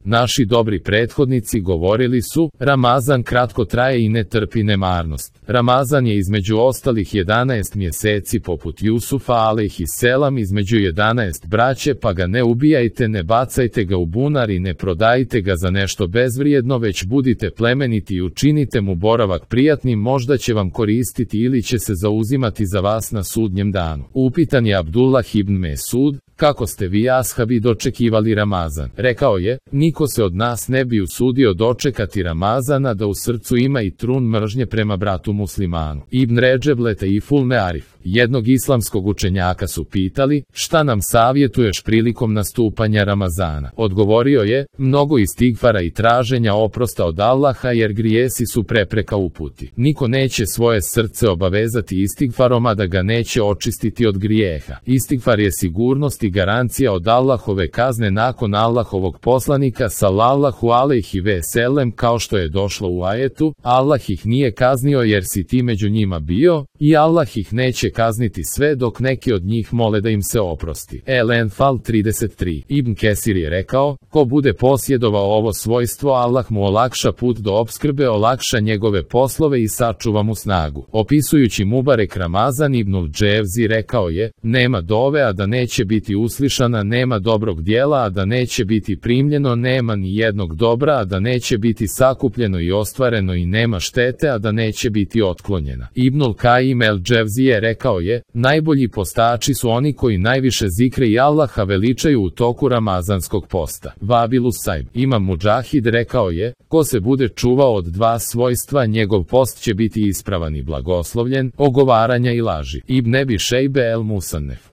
Naši dobri prethodnici govorili su, Ramazan kratko traje i ne trpi nemarnost. Ramazan je između ostalih 11 mjeseci poput Jusufa alejhiselam između 11 braće, pa ga ne ubijajte, ne bacajte ga u bunar i ne prodajte ga za nešto bezvrijedno, već budite plemeniti i učinite mu boravak prijatnim, možda će vam koristiti ili će se zauzimati za vas na sudnjem danu. Upitan je Abdullah ibn Mesud, kako ste vi ashabi dočekivali Ramazan? Rekao je, niko se od nas ne bi usudio dočekati Ramazana da u srcu ima i trun mržnje prema bratu muslimanu. Ibn Redžeb Letaiful Mearif, jednog islamskog učenjaka, su pitali, šta nam savjetuješ prilikom nastupanja Ramazana? Odgovorio je, mnogo istigfara i traženja oprosta od Allaha, jer grijesi su prepreka uputi. Niko neće svoje srce obavezati istigfarom, a da ga neće očistiti od grijeha. Istigfar je sigurnost i garancija od Allahove kazne nakon Allahovog poslanika sallallahu alejhi ve sellem, kao što je došlo u ajetu, Allah ih nije kaznio jer si ti među njima bio, i Allah ih neće kazniti sve dok neki od njih mole da im se oprosti. El-Enfal 33. Ibn Kesir je rekao, ko bude posjedovao ovo svojstvo, Allah mu olakša put do opskrbe, olakša njegove poslove i sačuva mu snagu. Opisujući Mubarek Ramazan, Ibnul Dževzi rekao je, nema dove a da neće biti uslišana, nema dobrog dijela a da neće biti primljeno, nema ni jednog dobra a da neće biti sakupljeno i ostvareno, i nema štete a da neće biti otklonjena. Ibnul Kajim el-Dževzije rekao je, najbolji postači su oni koji najviše zikre i Allaha veličaju u toku ramazanskog posta. Vabilus Sajb, Imam Mudžahid rekao je, ko se bude čuvao od dva svojstva, njegov post će biti ispravan i blagoslovljen, ogovaranja i laži. Ibn Ebi Šejbe el-Musannef.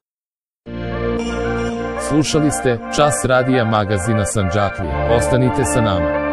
Slušali ste Čas radija magazina Sandžaklija. Ostanite sa nama.